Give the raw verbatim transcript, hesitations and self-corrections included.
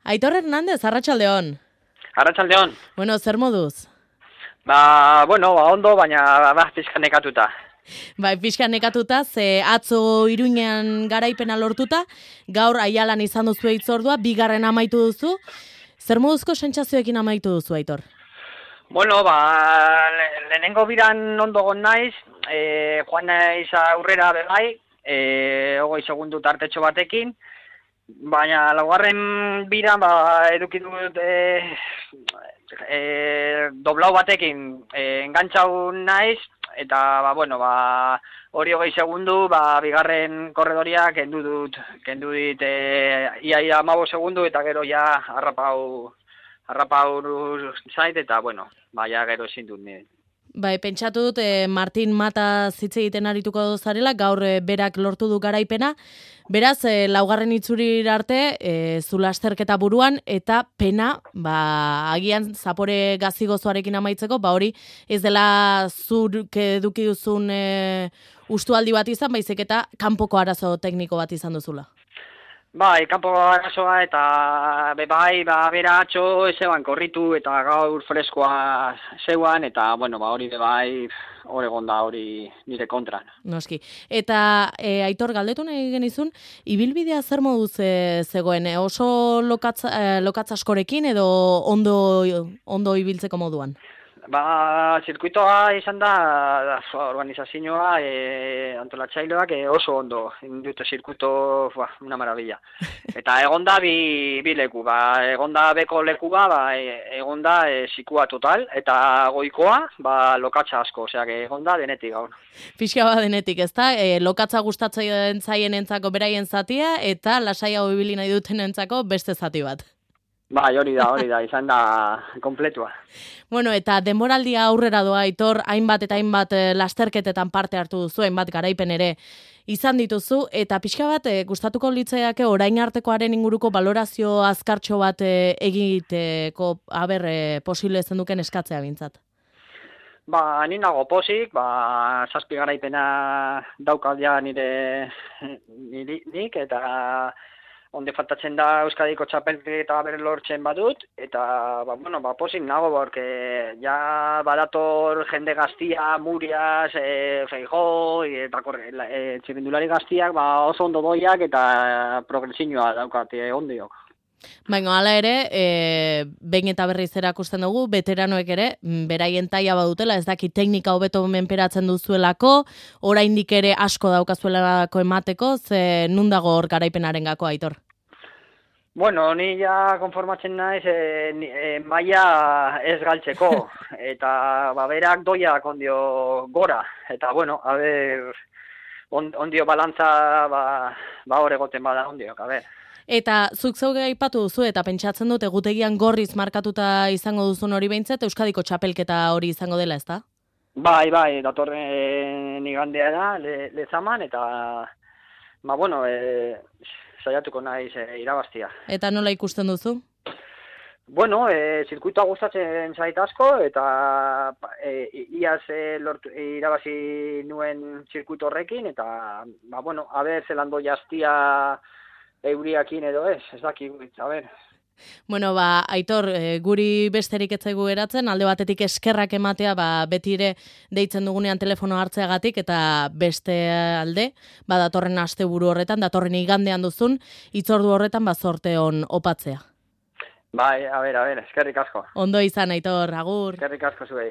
Aitor Hernandez, arratsaldeon. Arratsaldeon. Bueno, zer moduz? Ba, bueno, ba, ondo, baina ba, pizka nekatuta. Bai, pixka nekatuta, ze atzo Iruñean garaipena lortuta, gaur Aialan izan duzu hitzordua, bigarren amaitu duzu. Zer moduzko sentsazioekin amaitu duzu, Aitor? Bueno, ba, le, lehenengo biran ondo gon naiz, e, joan naiz aurrera bebai, e, hogei segundu tartetxo batekin, baina laugarren biran ba, eduki dut e, e, doblau batekin e, engantxau naiz, eta ba, bueno, ba, hori hogei segundu, ba, bigarren korredoria kendu dut, kendu dit e, ia ia amabo segundu, eta gero ja harrapau, harrapau zait, eta bueno, ba, ja gero ezin dut nire. Bai, pentsatu dut, eh, Martin Mata zitze egiten arituko dozarela, gaur eh, berak lortu du garaipena. Beraz, eh, laugarren itzuri arte, eh, zu lasterketa buruan, eta pena, ba, agian zapore gazigozoarekin amaitzeko, ba hori ez dela zurk eduki duzun eh, ustualdi bat izan, baizik eta kanpoko arazo tekniko bat izan duzula. Bai, kanpo arazoa eta bebai, ba, bera atxo ezeban korritu eta gaur freskoa zeuan eta, bueno, ba, hori bebai hori gonda hori nire kontran. Noski. Eta e, Aitor, galdetu nahi genizun, ibilbidea zer moduz e, zegoen? E, oso lokatz, e, lokatz askorekin edo ondo, ondo ibiltzeko moduan? Ba, zirkuitoa izan da, da organizazioa, e, antolatzailoak e, oso ondo, dute zirkuito, ba, una maravilla. Eta egonda bi, bi leku, ba, egonda beko leku ba, ba e, egonda e, zikua total, eta goikoa, ba, lokatza asko, osea, egonda denetik gaur. Pixka ba denetik, ezta? E, lokatza gustatzen zaien entzako beraien zatia, eta lasaiago ibili nahi duten entzako beste zati bat. Bai, hori da, hori da, izan da kompletua. Bueno, eta denboraldia aurrera doa, Aitor, hainbat eta hainbat lasterketetan parte hartu duzu, hainbat garaipen ere izan dituzu, eta pixka bat e, gustatuko litzaiake orain artekoaren inguruko balorazio azkartxo bat e, egiteko, haber, e, posible zen duken eskatzea bintzat. Ba, ni nago posik, ba, zazpi garaipena daukaldia nire nik, eta onde faltatzen da Euskadiko txapelketa bere lortzen badut, eta, ba, bueno, ba, posik nago, porque ja badator jende gaztia, Murias, e, Feijó, eta korre, e, txirrindulari gaztiak, ba, oso ondo doiak, eta progresioa daukate ondiok. Baina, hala ere, e, behin eta berriz erakusten dugu, veteranoek ere, beraien taia badutela, ez daki teknika hobeto menperatzen duzuelako, oraindik ere asko daukazuelako emateko, ze nun dago hor garaipenaren gako, Aitor? Bueno, ni ja konformatzen naiz e, e, maila ez galtzeko, eta ba, berak doiak ondio gora, eta bueno, a ber, on, ondio balantza ba, ba hor egoten bada ondiok, a ber. Eta zuk zeuge aipatu duzu eta pentsatzen dut egutegian gorriz markatuta izango duzun hori behintzat, Euskadiko txapelketa hori izango dela, ezta? Bai, bai, datorren igandea da, le, lezaman, eta, ba, bueno, e, saiatuko naiz e, irabaztia. Eta nola ikusten duzu? Bueno, e, zirkuitoa gustatzen zait asko, eta e, iaz e, lortu, e, irabazi nuen zirkuito horrekin, eta, ba, bueno, a ber, zelando jaztia euriakin edo ez, ez dakik, a ber. Bueno, ba, Aitor, e, guri besterik etzaigu geratzen, alde batetik eskerrak ematea, ba, beti ere deitzen dugunean telefono hartzeagatik, eta beste alde, ba, datorren asteburu horretan, datorren igandean duzun, hitzordu horretan, ba, zorte on opatzea. Bai, a ber, a ber, eskerrik asko. Ondo izan, Aitor, agur. Eskerrik asko zuei.